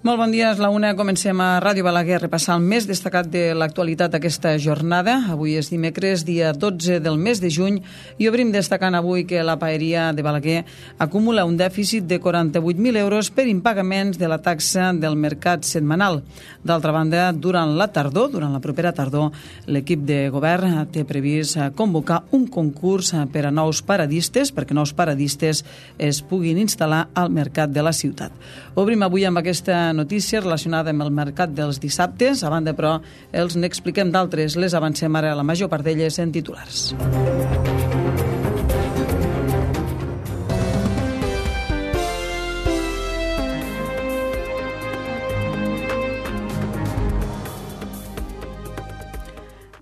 Molt bon dia, és la una. Comencem a Ràdio Balaguer a repassar el més destacat de l'actualitat d'aquesta jornada. Avui és dimecres, dia 12 del mes de juny, i obrim destacant avui que la paeria de Balaguer acumula un dèficit de 48.000 euros per impagaments de la taxa del mercat setmanal. D'altra banda, durant la propera tardor, l'equip de govern té previst convocar un concurs per a nous paradistes, perquè nous paradistes es puguin instal·lar al mercat de la ciutat. Obrim avui amb aquesta notícia relacionada amb el mercat dels dissabtes. A banda, però, els n'expliquem d'altres. Les avancem ara, la major part d'elles en titulars.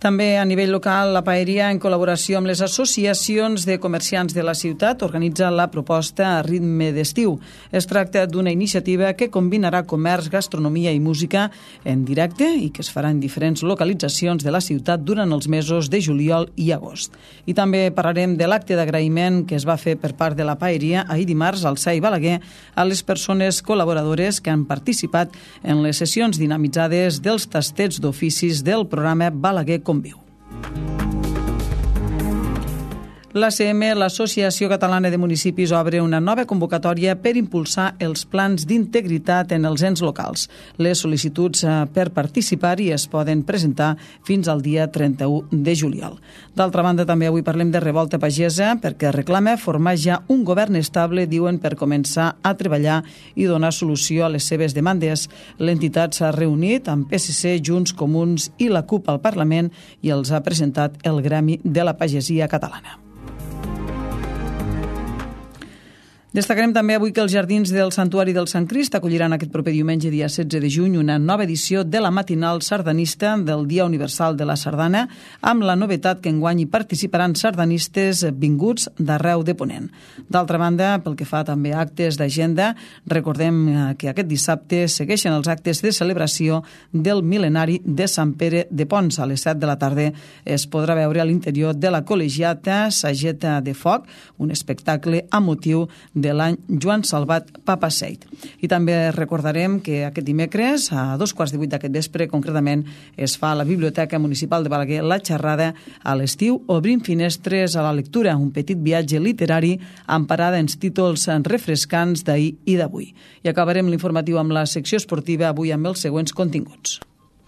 També a nivell local, la paeria, en col·laboració amb les associacions de comerciants de la ciutat, organitza la proposta a ritme d'estiu. Es tracta d'una iniciativa que combinarà comerç, gastronomia i música en directe i que es farà en diferents localitzacions de la ciutat durant els mesos de juliol i agost. I també parlarem de l'acte d'agraïment que es va fer per part de la paeria ahir dimarts al CEI Balaguer a les persones col·laboradores que han participat en les sessions dinamitzades dels tastets d'oficis del programa Balaguer Conviu. L'ACM, l'Associació Catalana de Municipis, obre una nova convocatòria per impulsar els plans d'integritat en els ens locals. Les sol·licituds per participar-hi es poden presentar fins al dia 31 de juliol. D'altra banda, també avui parlem de Revolta Pagesa, perquè reclama formar ja un govern estable, diuen, per començar a treballar i donar solució a les seves demandes. L'entitat s'ha reunit amb PSC, Junts, Comuns i la CUP al Parlament i els ha presentat el Gremi de la Pagesia Catalana. Destacarem també avui que els jardins del Santuari del Sant Crist acolliran aquest proper diumenge, dia 16 de juny, una nova edició de la matinal sardanista del Dia Universal de la Sardana, amb la novetat que enguany hi participaran sardanistes vinguts d'arreu de Ponent. D'altra banda, pel que fa també a actes d'agenda, recordem que aquest dissabte segueixen els actes de celebració del mil·lenari de Sant Pere de Pons. A les 7 de la tarda es podrà veure a l'interior de la col·legiata Sageta de Foc, un espectacle amb motiu de l'any Joan Salvat Papaseit. I també recordarem que aquest dimecres, a 2:15 d'aquest vespre, concretament, es fa a la Biblioteca Municipal de Balaguer la xerrada a l'estiu Obrim finestres a la lectura, un petit viatge literari amb parada en títols refrescants d'ahir i d'avui. I acabarem l'informatiu amb la secció esportiva, avui amb els següents continguts.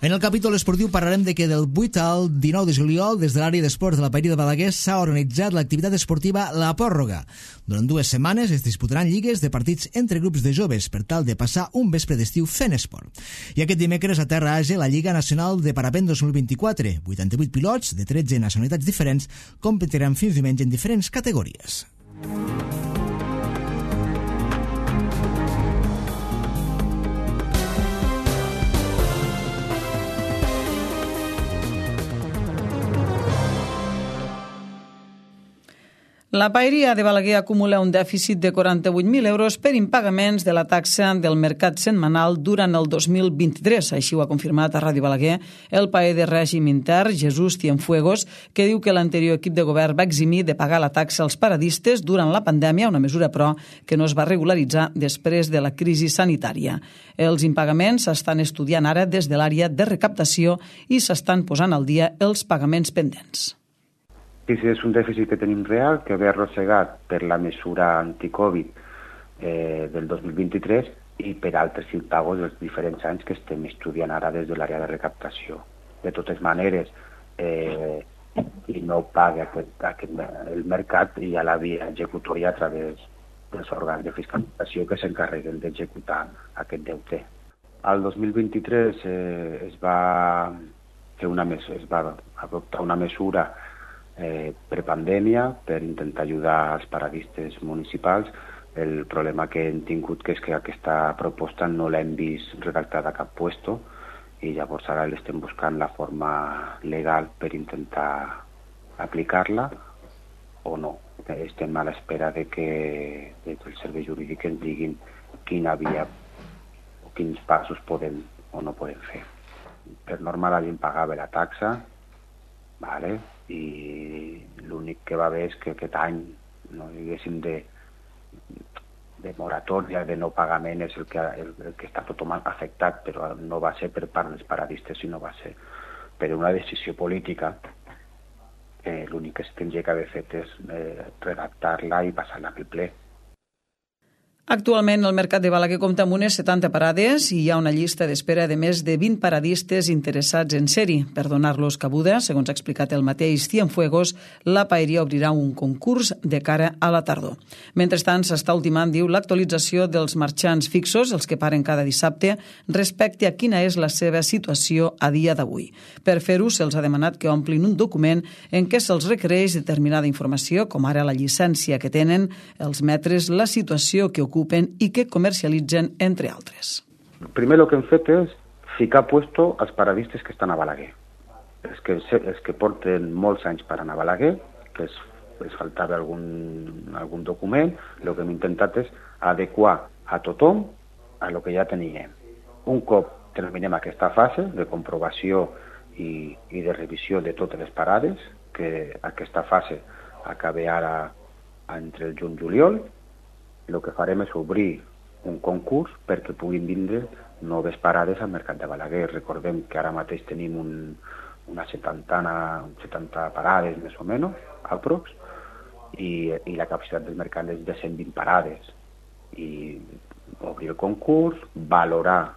En el capítol esportiu parlarem de que del 8 al 19 de juliol, des de l'àrea d'esports de la paeria de Balaguer, s'ha organitzat l'activitat esportiva La Pòrroga. Durant 2 setmanes es disputaran lligues de partits entre grups de joves per tal de passar un vespre d'estiu fent esport. I aquest dimecres a Terra Age la Lliga Nacional de Parapent 2024. 88 pilots de 13 nacionalitats diferents competiran fins diumenge en diferents categories. La paeria de Balaguer acumula un dèficit de 48.000 euros per impagaments de la taxa del mercat setmanal durant el 2023. Així ho ha confirmat a Ràdio Balaguer el paer de règim intern, Jesús Cienfuegos, que diu que l'anterior equip de govern va eximir de pagar la taxa als paradistes durant la pandèmia, una mesura, però, que no es va regularitzar després de la crisi sanitària. Els impagaments s'estan estudiant ara des de l'àrea de recaptació i s'estan posant al dia els pagaments pendents. Sí, és un dèficit que tenim real, que ve arrossegat per la mesura anticovid del 2023 i per altres impagos dels diferents anys que estem estudiant ara des de l'àrea de recaptació. De totes maneres, no paga el mercat i a la via executòria a través dels òrgans de fiscalització que s'encarreguen d'executar aquest deute. Al 2023 es va adoptar una mesura prepandèmia per intentar ajudar els paradistes municipals. El problema que hem tingut és que aquesta proposta no l'hem vist redactada a cap puesto i llavors ara l'estem buscant la forma legal per intentar aplicar-la o no. Estem a l'espera de que el servei jurídic ens diguin quina via o quins passos podem o no podem fer. Per norma la gent pagava la taxa, vale? I l'únic que va haver és que aquest any no diguéssim moratòria, de no pagament, és el que està tothom afectat, però no va ser per part dels paradistes, sinó va ser per una decisió política. L'únic que es tindria que haver fet és redactar-la i passar-la pel ple. Actualment el mercat de Balaguer compta amb unes 70 parades i hi ha una llista d'espera de més de 20 paradistes interessats en ser-hi. Per donar-los cabuda, segons ha explicat el mateix Cienfuegos, la paeria obrirà un concurs de cara a la tardor. Mentrestant, s'està ultimant, diu, l'actualització dels marxants fixos, els que paren cada dissabte, respecte a quina és la seva situació a dia d'avui. Per fer-ho, se'ls ha demanat que omplin un document en què se'ls requereix determinada informació, com ara la llicència que tenen, els metres, la situació que ocupen i que comercialitzen, entre altres. Primer el que hem fet és ficar puesto als paradistes que estan a Balaguer. Els que porten molts anys parant a Balaguer, que els faltava algun document, el que hem intentat és adequar a tothom a lo que ja teníem. Un cop terminem aquesta fase de comprovació i de revisió de totes les parades, que aquesta fase acabi ara entre el juny i juliol, el que farem és obrir un concurs perquè puguin vindre noves parades al mercat de Balaguer. Recordem que ara mateix tenim una 70 parades, més o menys, aprox, i la capacitat del mercat és de 120 parades. I obrir el concurs, valorar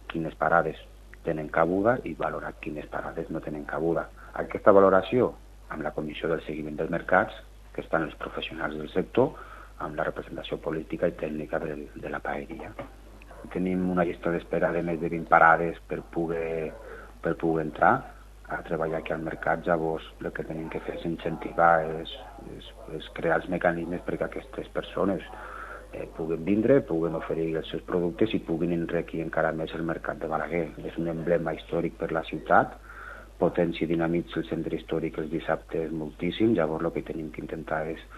quines parades tenen cabuda i valorar quines parades no tenen cabuda. Aquesta valoració, amb la comissió del seguiment dels mercats, que estan els professionals del sector, amb la representació política i tècnica de la paeria. Tenim una llista d'espera de més de 20 parades per poder entrar a treballar aquí al mercat. Llavors, el que tenim que fer és incentivar, és crear els mecanismes perquè aquestes persones puguin vindre, puguin oferir els seus productes i puguin enriquir encara més el mercat de Balaguer. És un emblema històric per la ciutat, potència i dinamitza el centre històric els dissabtes moltíssim. Llavors, el que tenim que intentar és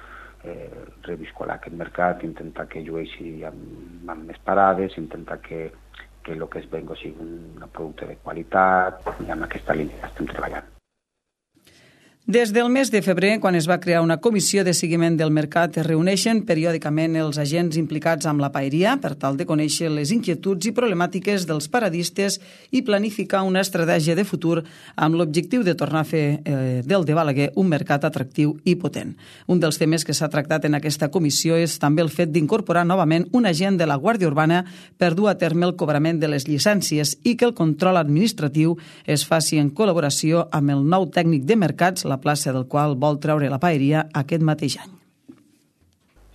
reviscolar aquest mercat, intentar que llueixi amb més parades, intentar que el que es venga sigui un producte de qualitat, i amb aquesta línia estem treballant. Des del mes de febrer, quan es va crear una comissió de seguiment del mercat, es reuneixen periòdicament els agents implicats amb la paeria per tal de conèixer les inquietuds i problemàtiques dels paradistes i planificar una estratègia de futur amb l'objectiu de tornar a fer del de Balaguer un mercat atractiu i potent. Un dels temes que s'ha tractat en aquesta comissió és també el fet d'incorporar novament un agent de la Guàrdia Urbana per dur a terme el cobrament de les llicències i que el control administratiu es faci en col·laboració amb el nou tècnic de mercats, la plaça del qual vol treure la paeria aquest mateix any.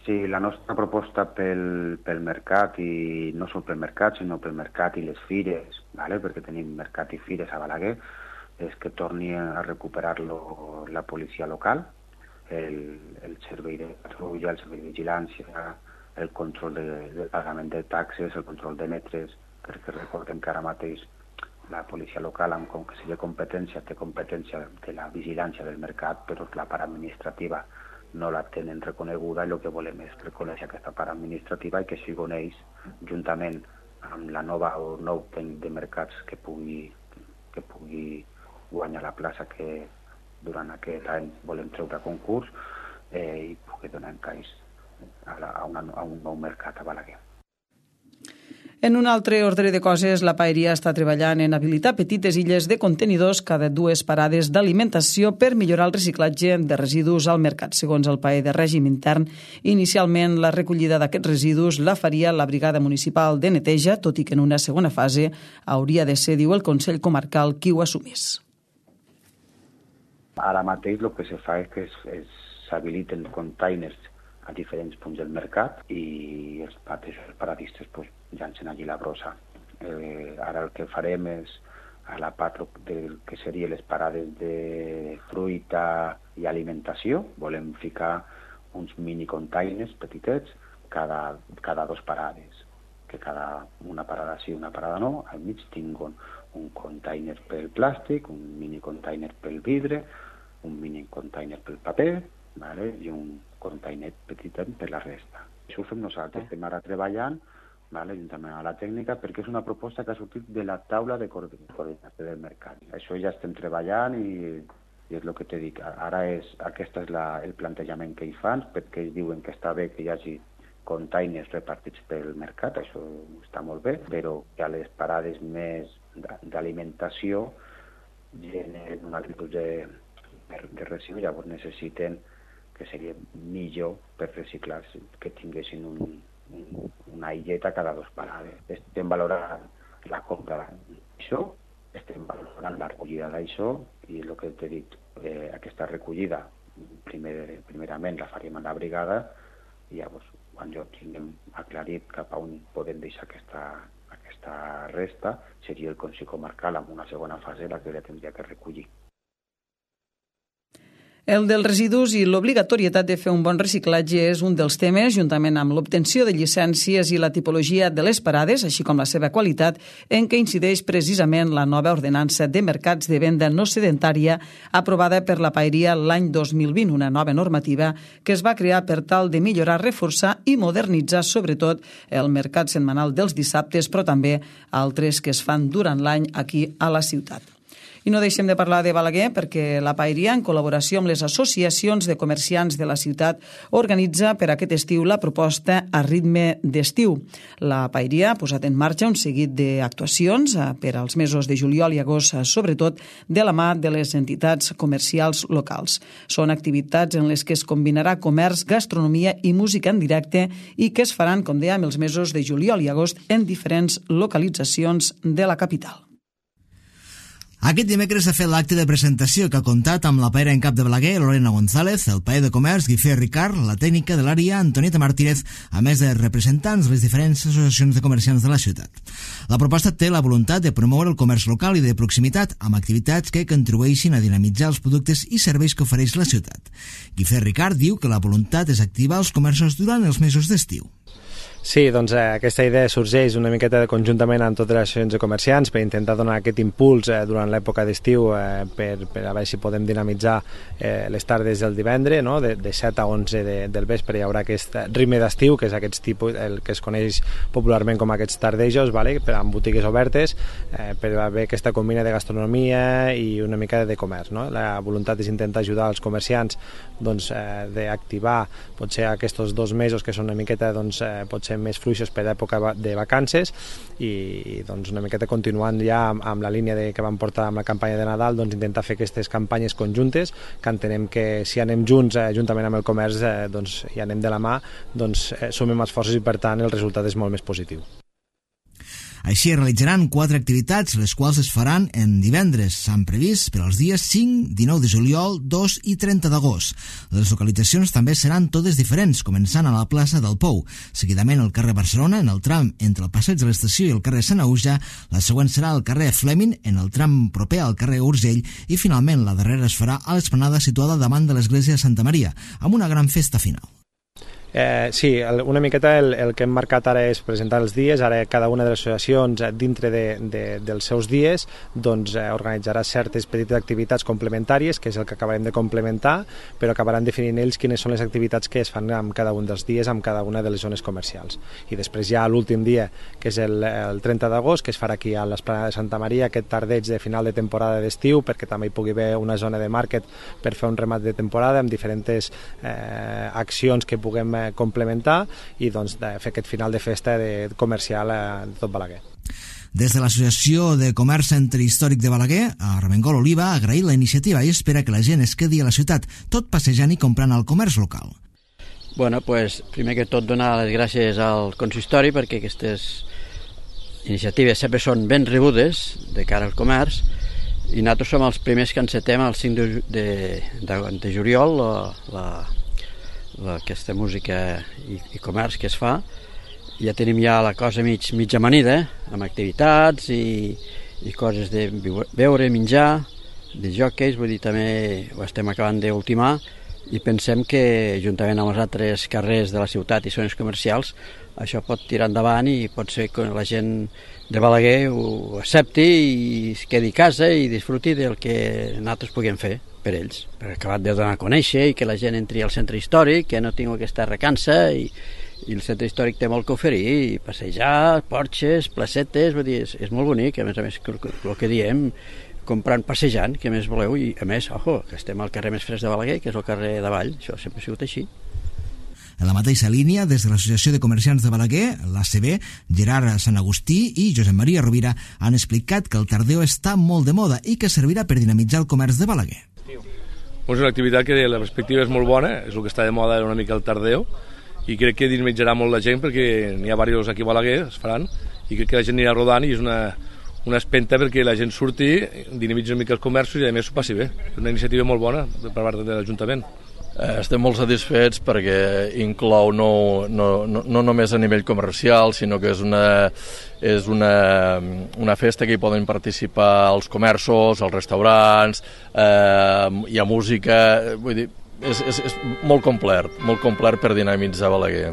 Sí, la nostra proposta pel mercat, i no sol pel mercat, sinó pel mercat i les fires, perquè tenim mercat i fires a Balaguer, és que torni a recuperar-lo la policia local, el servei de patrulla, el servei de vigilància, el control del pagament de taxes, el control de metres, perquè recordem que ara mateix la policia local, com que sigui competència, té competència de la vigilància del mercat, però la part administrativa no la tenen reconeguda, i el que volem és reconèixer aquesta part administrativa i que siguin ells, juntament amb la nova o nou tècnic de mercats que pugui guanyar la plaça que durant aquest any volem treure a concurs, i pugui donar encaix a un nou mercat a Balaguer. En un altre ordre de coses, la paeria està treballant en habilitar petites illes de contenidors cada 2 parades d'alimentació per millorar el reciclatge de residus al mercat. Segons el paer de règim intern, inicialment la recollida d'aquests residus la faria la Brigada Municipal de Neteja, tot i que en una segona fase hauria de ser, diu el Consell Comarcal, qui ho assumís. Ara mateix el que se fa és que s'habiliten containers a diferents punts del mercat i els paradistes llancen allí la brossa. Ara el que farem és, a la part del que serien les parades de fruita i alimentació, volem ficar uns mini containers petitets cada 2 parades, que una parada sí, una parada no, al mig tinguin un container pel plàstic, un mini container pel vidre, un mini container pel paper, i un container petitet per la resta. Això ho fem nosaltres, estem ara treballant juntament amb la tècnica, perquè és una proposta que ha sortit de la taula de coordinació del mercat. Això ja estem treballant i és el que t'he dit. Ara aquest és el plantejament que hi fan, perquè ells diuen que està bé que hi hagi containers repartits pel mercat, això està molt bé, però que a les parades més d'alimentació generen una actitud de residus, llavors necessiten que seria millor per reciclar que tinguessin una illeta cada 2 parades. Estem valorant la compra d'això, estem valorant la recollida d'això i el que t'he dit, aquesta recollida primerament la faríem a la brigada i llavors quan jo tinguem aclarit cap a on podem deixar aquesta resta seria el Consell Comarcal amb una segona fase la que ja tindria que recollir. El dels residus i l'obligatorietat de fer un bon reciclatge és un dels temes, juntament amb l'obtenció de llicències i la tipologia de les parades, així com la seva qualitat, en què incideix precisament la nova ordenança de mercats de venda no sedentària aprovada per la Paeria l'any 2020, una nova normativa que es va crear per tal de millorar, reforçar i modernitzar sobretot el mercat setmanal dels dissabtes, però també altres que es fan durant l'any aquí a la ciutat. I no deixem de parlar de Balaguer perquè la Paeria, en col·laboració amb les associacions de comerciants de la ciutat, organitza per aquest estiu la proposta A ritme d'estiu. La Paeria ha posat en marxa un seguit d'actuacions per als mesos de juliol i agost, sobretot de la mà de les entitats comercials locals. Són activitats en les que es combinarà comerç, gastronomia i música en directe i que es faran, com dèiem, els mesos de juliol i agost en diferents localitzacions de la capital. Aquest dimecres s'ha fet l'acte de presentació que ha comptat amb la paera en cap de Balaguer, Lorena González, el paer de comerç, Guifré Ricard, la tècnica de l'àrea, Antonieta Martínez, a més de representants de les diferents associacions de comerciants de la ciutat. La proposta té la voluntat de promoure el comerç local i de proximitat amb activitats que contribueixin a dinamitzar els productes i serveis que ofereix la ciutat. Guifré Ricard diu que la voluntat és activar els comerços durant els mesos d'estiu. Sí, doncs aquesta idea sorgeix una miqueta conjuntament amb totes les associacions de comerciants per intentar donar aquest impuls durant l'època d'estiu per a veure si podem dinamitzar les tardes del divendres, no? de 7 a 11 del vespre hi haurà aquest ritme d'estiu, que és aquest tipus, el que es coneix popularment com aquests tardejos, vale? Amb botigues obertes, per haver aquesta combina de gastronomia i una mica de comerç. No? La voluntat és intentar ajudar els comerciants doncs, d'activar potser aquests 2 mesos que són una miqueta potser més fluixos per època de vacances i doncs una miqueta continuant ja amb la línia que vam portar amb la campanya de Nadal, doncs intentar fer aquestes campanyes conjuntes que entenem que si anem junts juntament amb el comerç doncs, i anem de la mà, doncs sumem esforços i per tant el resultat és molt més positiu. Així es realitzaran 4 activitats, les quals es faran en divendres. S'han previst per als dies 5, 19 de juliol, 2 i 30 d'agost. Les localitzacions també seran totes diferents, començant a la plaça del Pou, seguidament al carrer Barcelona, en el tram entre el passeig de l'Estació i el carrer Sant Auja, la següent serà al carrer Fleming, en el tram proper al carrer Urgell, i finalment la darrera es farà a l'esplanada situada davant de l'església de Santa Maria, amb una gran festa final. Sí, una miqueta el que hem marcat ara és presentar els dies. Ara cada una de les associacions dintre dels seus dies doncs, organitzarà certes petites activitats complementàries, que és el que acabarem de complementar, però acabaran definint ells quines són les activitats que es fan amb cada un dels dies, amb cada una de les zones comercials. I després ja l'últim dia, que és el 30 d'agost, que es farà aquí a l'Esplanada de Santa Maria, aquest tardeig de final de temporada d'estiu, perquè també hi pugui haver una zona de màrquet per fer un remat de temporada amb diferents accions que puguem complementar i doncs, fer aquest final de festa comercial de tot Balaguer. Des de l'Associació de Comerç Centre Històric de Balaguer, Armengol Oliva ha agraït la iniciativa i espera que la gent es quedi a la ciutat, tot passejant i comprant al comerç local. Bueno, pues, primer que tot donar les gràcies al consistori perquè aquestes iniciatives sempre són ben rebudes de cara al comerç i nosaltres som els primers que encetem el 5 de juliol aquesta música i comerç que es fa. Ja tenim ja la cosa mig amanida, amb activitats i coses de beure, menjar, de jockeys, vull dir, també ho estem acabant d'ultimar i pensem que juntament amb els altres carrers de la ciutat i zones comercials això pot tirar endavant i pot ser que la gent de Balaguer ho accepti i es quedi a casa i disfruti del que nosaltres puguem fer per ells, per acabar de donar a conèixer i que la gent entri al centre històric, que no tingui aquesta recança i el centre històric té molt que oferir, i passejar, porxes, placetes, vull dir, és molt bonic, a més el que diem, comprant, passejant, què més voleu, i a més, ojo, que estem al carrer més fresc de Balaguer, que és el carrer d'Avall, això sempre ha sigut així. En la mateixa línia, des de l'Associació de Comerciants de Balaguer, l'ACB, Gerard Sant Agustí i Josep Maria Rovira han explicat que el tardeo està molt de moda i que servirà per dinamitzar el comerç de Balaguer. És una activitat que la perspectiva és molt bona, és el que està de moda una mica el tardeo, i crec que dinamitzarà molt la gent perquè n'hi ha diversos aquí a Balaguer, es faran, i crec que la gent anirà rodant i és una espenta perquè la gent surti, dinamitzi una mica els comerços i a més s'ho passi bé. És una iniciativa molt bona per part de l'Ajuntament. Estem molt satisfets perquè inclou no només a nivell comercial, sinó que és una festa que hi poden participar els comerços, els restaurants, hi ha música, vull dir, és molt complet per dinamitzar Balaguer.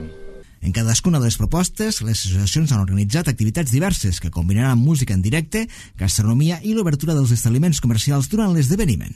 En cadascuna de les propostes, les associacions han organitzat activitats diverses que combinaran música en directe, gastronomia i l'obertura dels establiments comercials durant l'esdeveniment.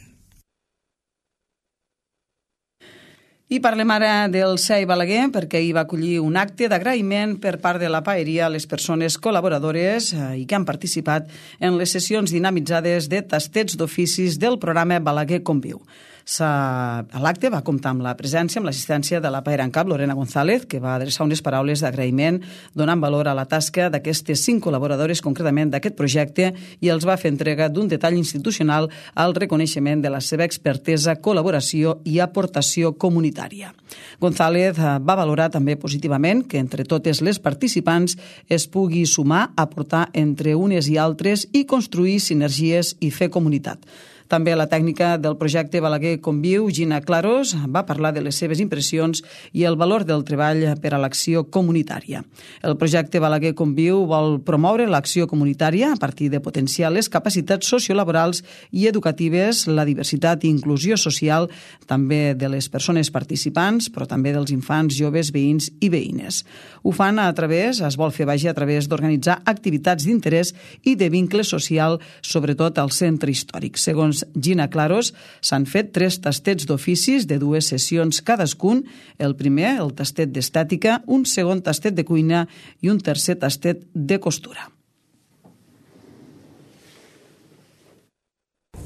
I parlem ara del CEI Balaguer perquè hi va acollir un acte d'agraïment per part de la paeria a les persones col·laboradores i que han participat en les sessions dinamitzades de tastets d'oficis del programa Balaguer Conviu. L'acte va comptar amb la presència, amb l'assistència de la paera en cap, Lorena González, que va adreçar unes paraules d'agraïment donant valor a la tasca d'aquestes 5 col·laboradores concretament d'aquest projecte i els va fer entrega d'un detall institucional al reconeixement de la seva expertesa, col·laboració i aportació comunitària. González va valorar també positivament que entre totes les participants es pugui sumar, aportar entre unes i altres i construir sinergies i fer comunitat. També la tècnica del projecte Balaguer Conviu, Gina Claros, va parlar de les seves impressions i el valor del treball per a l'acció comunitària. El projecte Balaguer Conviu vol promoure l'acció comunitària a partir de potenciar les capacitats sociolaborals i educatives, la diversitat i inclusió social, també de les persones participants, però també dels infants, joves, veïns i veïnes. Ho fan es vol fer a través d'organitzar activitats d'interès i de vincle social, sobretot al centre històric. Segons Gina Claros, s'han fet 3 tastets d'oficis de 2 sessions cadascun. El primer, el tastet d'estètica, un segon tastet de cuina i un tercer tastet de costura.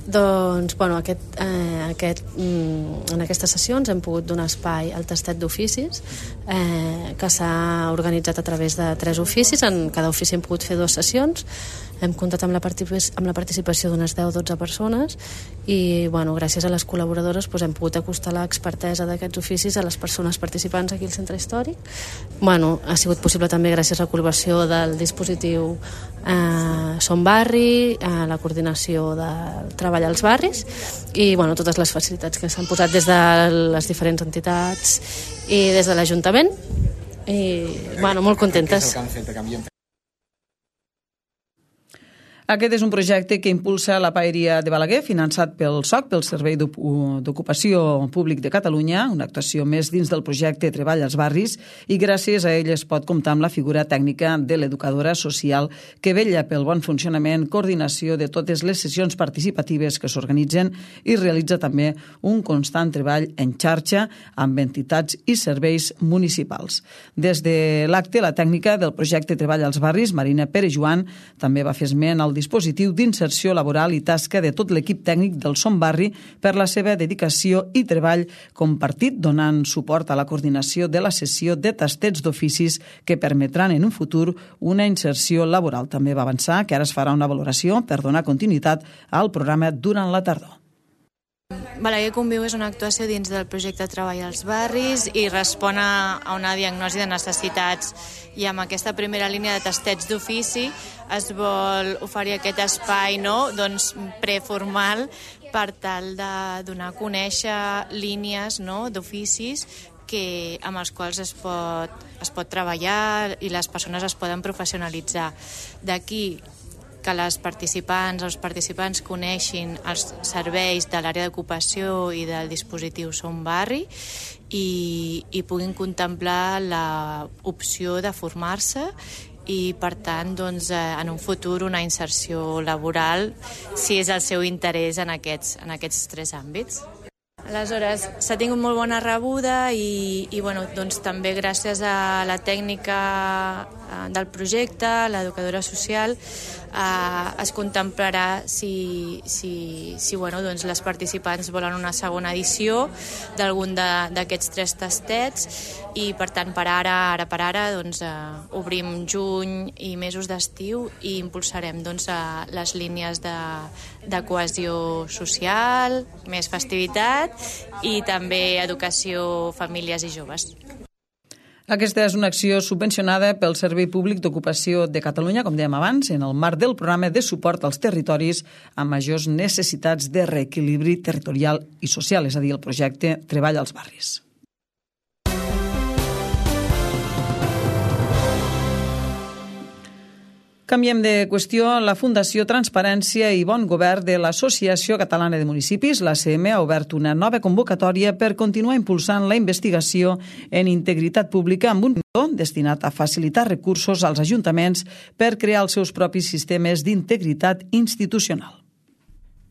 Doncs, en aquestes sessions hem pogut donar espai al tastet d'oficis que s'ha organitzat a través de 3 oficis. En cada ofici hem pogut fer 2 sessions. Hem comptat amb la participació d'unes 10-12 persones i gràcies a les col·laboradores hem pogut acostar l'expertesa d'aquests oficis a les persones participants aquí al centre històric. Ha sigut possible també gràcies a la col·laboració del dispositiu Som Barri, a la coordinació del treball als barris i totes les facilitats que s'han posat des de les diferents entitats i des de l'Ajuntament i molt contentes. Aquest és un projecte que impulsa la Paeria de Balaguer, finançat pel SOC, pel Servei d'Ocupació Públic de Catalunya, una actuació més dins del projecte Treball als Barris, i gràcies a ell es pot comptar amb la figura tècnica de l'educadora social que vetlla pel bon funcionament, coordinació de totes les sessions participatives que s'organitzen i realitza també un constant treball en xarxa amb entitats i serveis municipals. Des de l'acte, la tècnica del projecte Treball als Barris, Marina Pere Joan, també va fer esment al dispositiu d'inserció laboral i tasca de tot l'equip tècnic del Som Barri per la seva dedicació i treball compartit, donant suport a la coordinació de la sessió de tastets d'oficis que permetran en un futur una inserció laboral. També va avançar que ara es farà una valoració per donar continuïtat al programa durant la tardor. Balaguer Conviu és una actuació dins del projecte Treball als Barris i respon a una diagnosi de necessitats i amb aquesta primera línia de tastets d'ofici es vol oferir aquest espai preformal per tal de donar a conèixer línies d'oficis amb els quals es pot treballar i les persones es poden professionalitzar. D'aquí que les participants o els participants coneixin els serveis de l'àrea d'ocupació i del dispositiu Som Barri i puguin contemplar l'opció de formar-se i, per tant, en un futur una inserció laboral si és el seu interès en aquests 3 àmbits. Aleshores, s'ha tingut molt bona rebuda i també gràcies a la tècnica del projecte, l'educadora social, es contemplarà si doncs les participants volen una segona edició d'algun d'aquests 3 tastets, i per tant ara doncs, obrim juny i mesos d'estiu i impulsarem doncs, les línies de cohesió social, més festivitat i també educació, famílies i joves. Aquesta és una acció subvencionada pel Servei Públic d'Ocupació de Catalunya, com dèiem abans, en el marc del programa de suport als territoris amb majors necessitats de reequilibri territorial i social, és a dir, el projecte Treball als barris. Canviem de qüestió. La Fundació Transparència i Bon Govern de l'Associació Catalana de Municipis, l'ACM, ha obert una nova convocatòria per continuar impulsant la investigació en integritat pública amb un fons destinat a facilitar recursos als ajuntaments per crear els seus propis sistemes d'integritat institucional.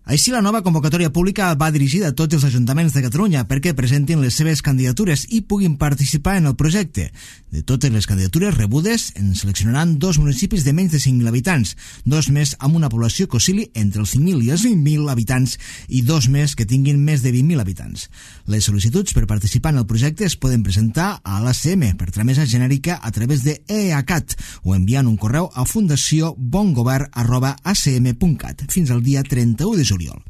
Així, la nova convocatòria pública va dirigida a tots els ajuntaments de Catalunya perquè presentin les seves candidatures i puguin participar en el projecte. De totes les candidatures rebudes, en seleccionaran 2 municipis de menys de 5.000 habitants, 2 més amb una població que oscil·li entre els 5.000 i els 20.000 habitants i 2 més que tinguin més de 20.000 habitants. Les sol·licituds per participar en el projecte es poden presentar a l'ACM per tramesa genèrica a través de EACAT o enviant un correu a fundaciobongovern@acm.cat fins al dia 31 de juliol.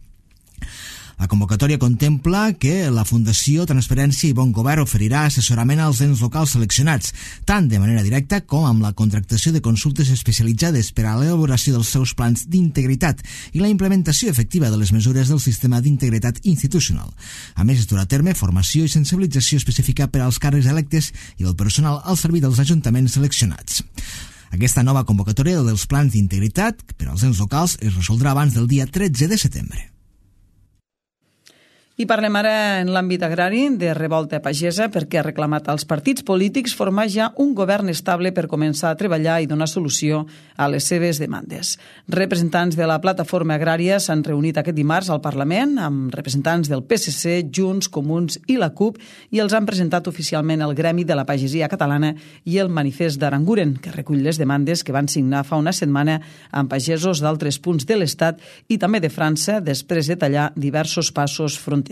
La convocatòria contempla que la Fundació Transparència i Bon Govern oferirà assessorament als ens locals seleccionats, tant de manera directa com amb la contractació de consultes especialitzades per a l'elaboració dels seus plans d'integritat i la implementació efectiva de les mesures del sistema d'integritat institucional. A més, es durà a terme formació i sensibilització específica per als càrrecs electes i del personal al servei dels ajuntaments seleccionats. Aquesta nova convocatòria dels plans d'integritat per als ens locals es resoldrà abans del dia 13 de setembre. I parlem ara en l'àmbit agrari de Revolta Pagesa, perquè ha reclamat als partits polítics formar ja un govern estable per començar a treballar i donar solució a les seves demandes. Representants de la plataforma agrària s'han reunit aquest dimarts al Parlament amb representants del PSC, Junts, Comuns i la CUP i els han presentat oficialment el Gremi de la Pagesia Catalana i el Manifest d'Aranguren, que recull les demandes que van signar fa una setmana amb pagesos d'altres punts de l'Estat i també de França després de tallar diversos passos fronters.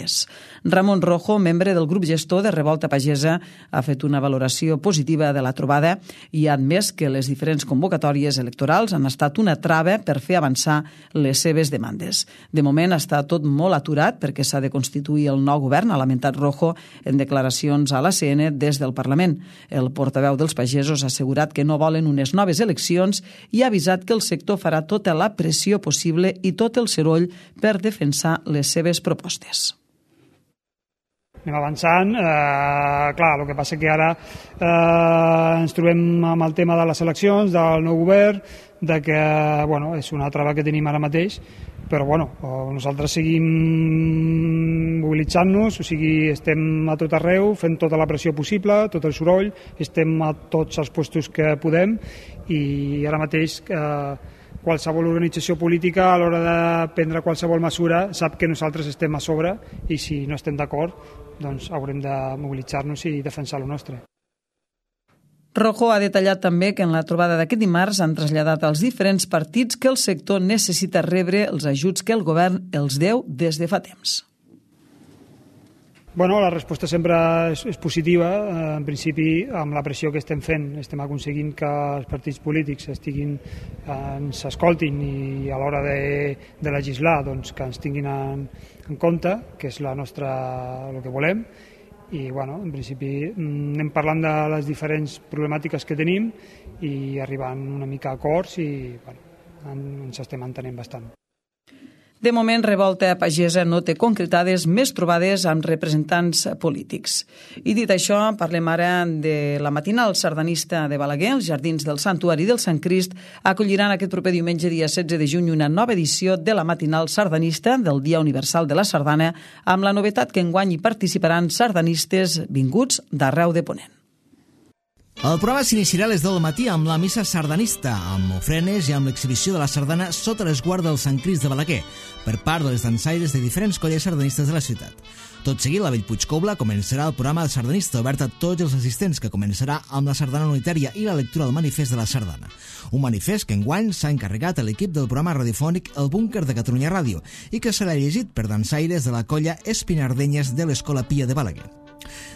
Ramon Rojo, membre del grup gestor de Revolta Pagesa, ha fet una valoració positiva de la trobada i ha admès que les diferents convocatòries electorals han estat una trava per fer avançar les seves demandes. De moment està tot molt aturat perquè s'ha de constituir el nou govern, ha lamentat Rojo en declaracions a l'ACN des del Parlament. El portaveu dels pagesos ha assegurat que no volen unes noves eleccions i ha avisat que el sector farà tota la pressió possible i tot el soroll per defensar les seves propostes. Anem avançant, clar, el que passa que ara ens trobem amb el tema de les eleccions, del nou govern, de que és una trava que tenim ara mateix, però nosaltres seguim mobilitzant-nos, o sigui, estem a tot arreu, fent tota la pressió possible, tot el soroll, estem a tots els puestos que podem i ara mateix qualsevol organització política a l'hora de prendre qualsevol mesura sap que nosaltres estem a sobre i si no estem d'acord doncs haurem de mobilitzar-nos i defensar el nostre. Rojo ha detallat també que en la trobada d'aquest dimarts han traslladat als diferents partits que el sector necessita rebre els ajuts que el govern els deu des de fa temps. La resposta sempre és positiva. En principi, amb la pressió que estem fent, estem aconseguint que els partits polítics ens escoltin i a l'hora de legislar que ens tinguin en compte, que és el que volem. I, en principi, anem parlant de les diferents problemàtiques que tenim i arribant una mica a acords i ens estem entenent bastant. De moment, Revolta Pagesa no té concretades més trobades amb representants polítics. I dit això, parlem ara de la matinal sardanista de Balaguer. Els jardins del Santuari del Sant Crist acolliran aquest proper diumenge, dia 16 de juny, una nova edició de la matinal sardanista del Dia Universal de la Sardana, amb la novetat que enguany hi participaran sardanistes vinguts d'arreu de Ponent. El programa s'iniciarà a les 10 del matí amb la missa sardanista, amb ofrenes i amb l'exhibició de la sardana sota l'esguard del Sant Crist de Balaguer, per part de les dansaires de diferents colles sardanistes de la ciutat. Tot seguit, la Bellpuig Cobla començarà el programa sardanista obert a tots els assistents, que començarà amb la sardana unitària i la lectura del manifest de la sardana. Un manifest que enguany s'ha encarregat a l'equip del programa radiofònic El Búnquer de Catalunya Ràdio i que serà llegit per dansaires de la colla Espinardenyes de l'Escola Pia de Balaguer.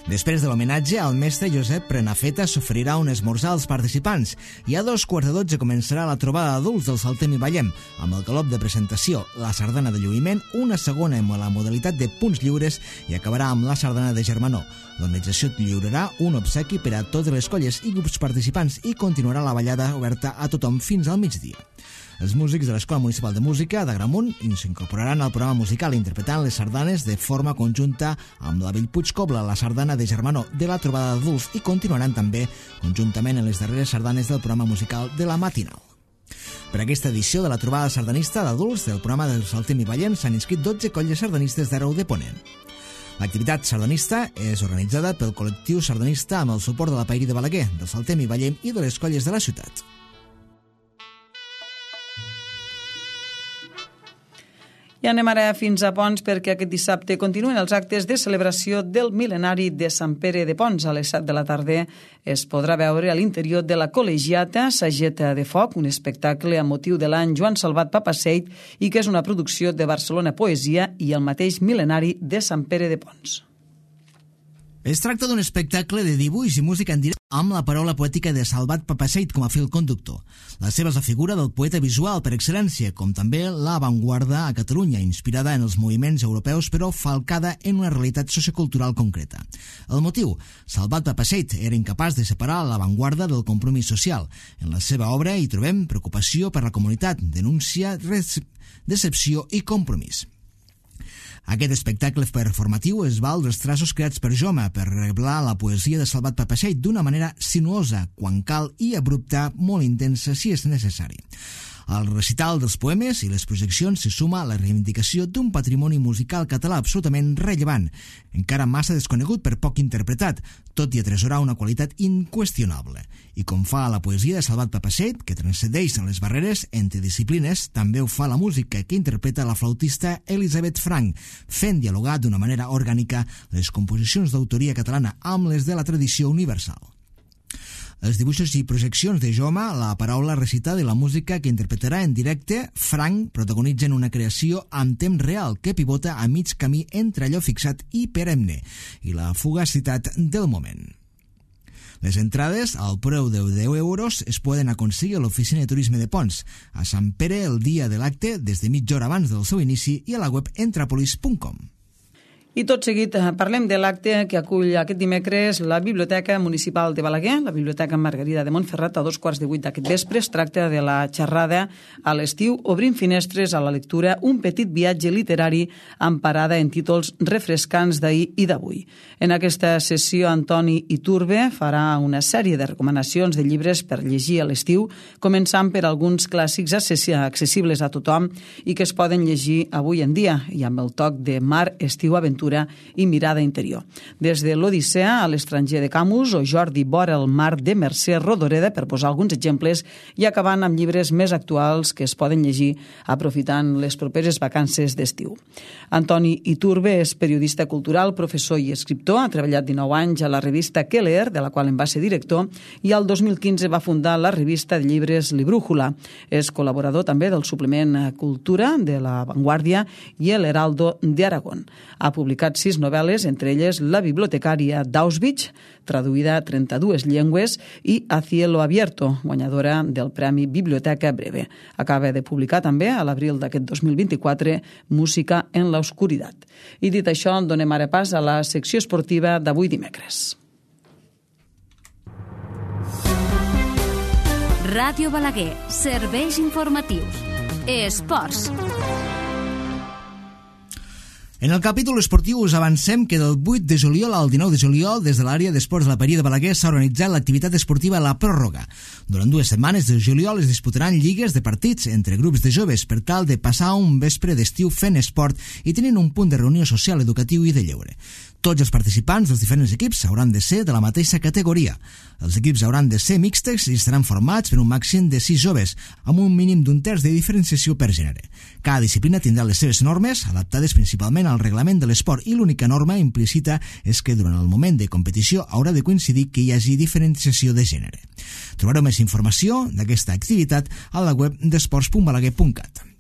Després de l'homenatge al mestre Josep Prenafeta s'oferirà un esmorzar als participants i a 2:15 començarà la trobada d'adults del Saltem i Ballem amb el galop de presentació, la sardana de lluïment, una segona amb la modalitat de punts lliures i acabarà amb la sardana de germanor. L'organització lliurarà un obsequi per a totes les colles i grups participants i continuarà la ballada oberta a tothom fins al migdia. Els músics de l'Escola Municipal de Música d'Agramunt s'incorporaran al programa musical interpretant les sardanes de forma conjunta amb la Bellpuig Cobla, la sardana de germanor de la trobada d'adults i continuaran també conjuntament en les darreres sardanes del programa musical de la matinal. Per aquesta edició de la trobada sardanista d'adults del programa del Saltem i Ballem s'han inscrit 12 colles sardanistes d'arreu de Ponent. L'activitat sardanista és organitzada pel col·lectiu sardanista amb el suport de la Pairi de Balaguer, del Saltem i Ballem i de les colles de la ciutat. I anem ara fins a Ponts perquè aquest dissabte continuen els actes de celebració del mil·lenari de Sant Pere de Ponts. A les 7 de la tarda es podrà veure a l'interior de la col·legiata Sageta de Foc, un espectacle amb motiu de l'any Joan Salvat Papaseit i que és una producció de Barcelona Poesia i el mateix mil·lenari de Sant Pere de Ponts. Es tracta d'un espectacle de dibuix i música en directe amb la paraula poètica de Salvat Papaseit com a fil conductor. La seva és la figura del poeta visual per excel·lència, com també l'avantguarda a Catalunya, inspirada en els moviments europeus però falcada en una realitat sociocultural concreta. El motiu? Salvat Papaseit era incapaç de separar l'avantguarda del compromís social. En la seva obra hi trobem preocupació per la comunitat, denúncia, decepció i compromís. Aquest espectacle performatiu es val dels traços creats per Joma per revelar la poesia de Salvat Papaseit d'una manera sinuosa, quan cal, i abrupta, molt intensa si és necessari. Al recital dels poemes i les projeccions s'hi suma la reivindicació d'un patrimoni musical català absolutament rellevant, encara massa desconegut per poc interpretat, tot i atresorar una qualitat inqüestionable. I com fa la poesia de Salvat Papaseit, que transcendeix les barreres entre disciplines, també ho fa la música que interpreta la flautista Elisabeth Frank, fent dialogar d'una manera orgànica les composicions d'autoria catalana amb les de la tradició universal. Els dibuixos i projeccions de Joma, la paraula recitada i la música que interpretarà en directe, Frank protagonitzen una creació amb temps real que pivota a mig camí entre allò fixat i perenne i la fugacitat del moment. Les entrades, al preu de 10 euros, es poden aconseguir a l'Oficina de Turisme de Ponts, a Sant Pere el dia de l'acte des de mitja hora abans del seu inici i a la web entrapolis.com. I tot seguit parlem de l'acte que acull aquest dimecres la Biblioteca Municipal de Balaguer, la Biblioteca Margarida de Montferrat, a 2:15 d'aquest vespre. Es tracta de la xerrada a l'estiu Obrint finestres a la lectura, un petit viatge literari amb parada en títols refrescants d'ahir i d'avui. En aquesta sessió, Antoni Iturbe farà una sèrie de recomanacions de llibres per llegir a l'estiu, començant per alguns clàssics accessibles a tothom i que es poden llegir avui en dia, i amb el toc de mar, estiu, aventura i mirada interior. Des de l'Odissea a l'estranger de Camus o Jordi vora el mar de Mercè Rodoreda, per posar alguns exemples, i acabant amb llibres més actuals que es poden llegir aprofitant les properes vacances d'estiu. Antoni Iturbe és periodista cultural, professor i escriptor, ha treballat 19 anys a la revista Keller, de la qual en va ser director, i al 2015 va fundar la revista de llibres Librújula. És col·laborador també del suplement Cultura de La Vanguardia i El Heraldo de Aragón. Ha publicat 6 novel·les, entre elles La bibliotecària d'Auschwitz, traduïda a 32 llengües, i A cielo abierto, guanyadora del Premi Biblioteca Breve. Acaba de publicar també, a l'abril d'aquest 2024, Música en la oscuridad. I dit això, donem ara pas a la secció esportiva d'avui dimecres. Ràdio Balaguer, serveis informatius. Esports. En el capítol esportiu us avancem que del 8 de juliol al 19 de juliol, des de l'àrea d'esports de la Paria de Balaguer, s'ha organitzat l'activitat esportiva La Pròrroga. Durant 2 setmanes de juliol es disputaran lligues de partits entre grups de joves per tal de passar un vespre d'estiu fent esport i tenint un punt de reunió social, educatiu i de lleure. Tots els participants dels diferents equips hauran de ser de la mateixa categoria. Els equips hauran de ser mixtes i estaran formats per un màxim de 6 joves, amb un mínim d'un terç de diferenciació per gènere. Cada disciplina tindrà les seves normes, adaptades principalment al reglament de l'esport, i l'única norma implícita és que durant el moment de competició haurà de coincidir que hi hagi diferenciació de gènere. Trobareu més informació d'aquesta activitat a la web d'esports.balaguer.cat.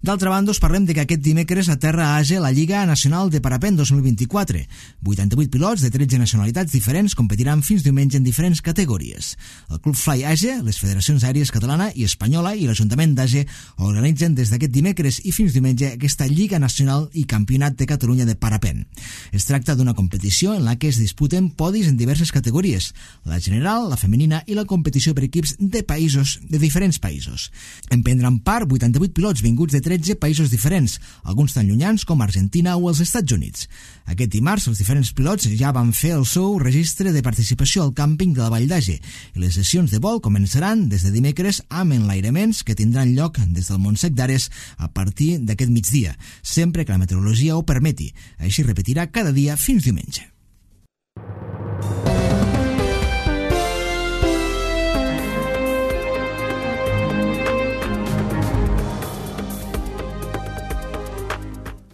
D'altra banda, us parlem de que aquest dimecres aterra a Age la Lliga Nacional de Parapent 2024. 88 pilots de 13 nacionalitats diferents competiran fins diumenge en diferents categories. El Club Fly Age, les federacions aèries catalana i espanyola i l'Ajuntament d'Age organitzen des d'aquest dimecres i fins diumenge aquesta Lliga Nacional i Campionat de Catalunya de Parapent. Es tracta d'una competició en la que es disputen podis en diverses categories, la general, la femenina i la competició per equips de diferents països. En prendran part 88 pilots vinguts de 13 països diferents, alguns tan llunyans com Argentina o els Estats Units. Aquest dimarts, els diferents pilots ja van fer el seu registre de participació al càmping de la Vall d'Age i les sessions de vol començaran des de dimecres amb enlairaments que tindran lloc des del Montsec d'Ares a partir d'aquest migdia, sempre que la meteorologia ho permeti. Així repetirà cada dia fins diumenge.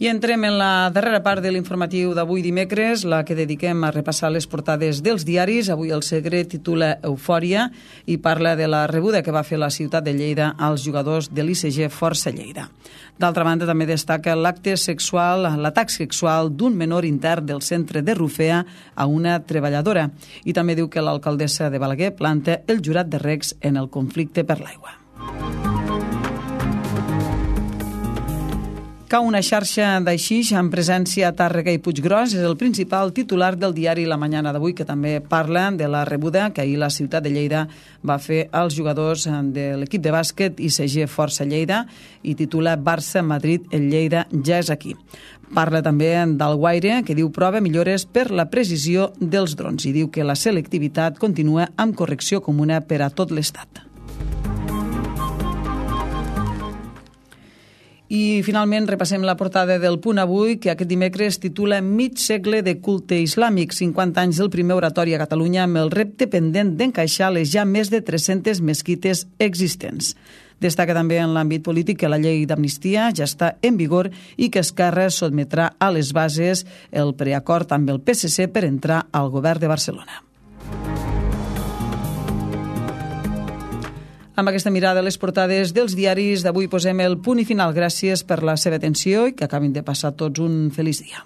I entrem en la darrera part de l'informatiu d'avui dimecres, la que dediquem a repassar les portades dels diaris. Avui el Segre titula Eufòria i parla de la rebuda que va fer la ciutat de Lleida als jugadors de l'ICG Força Lleida. D'altra banda, també destaca l'atac sexual d'un menor intern del centre de Rufea a una treballadora. I també diu que l'alcaldessa de Balaguer planta el jurat de regs en el conflicte per l'aigua. Cau una xarxa d'aixix amb presència a Tàrrega i Puiggròs és el principal titular del diari La Mañana d'avui, que també parla de la rebuda que ahir la ciutat de Lleida va fer als jugadors de l'equip de bàsquet ICG Força Lleida i titula Barça-Madrid, el Lleida ja és aquí. Parla també d'Alguaire, que diu prova millores per la precisió dels drons i diu que la selectivitat continua amb correcció comuna per a tot l'Estat. I finalment repassem la portada del Punt Avui, que aquest dimecres titula Mig segle de culte islàmic, 50 anys del primer oratori a Catalunya amb el repte pendent d'encaixar les ja més de 300 mesquites existents. Destaca també en l'àmbit polític que la llei d'amnistia ja està en vigor i que Esquerra sotmetrà a les bases el preacord amb el PSC per entrar al govern de Barcelona. Amb aquesta mirada a les portades dels diaris d'avui posem el punt i final. Gràcies per la seva atenció i que acabin de passar tots un feliç dia.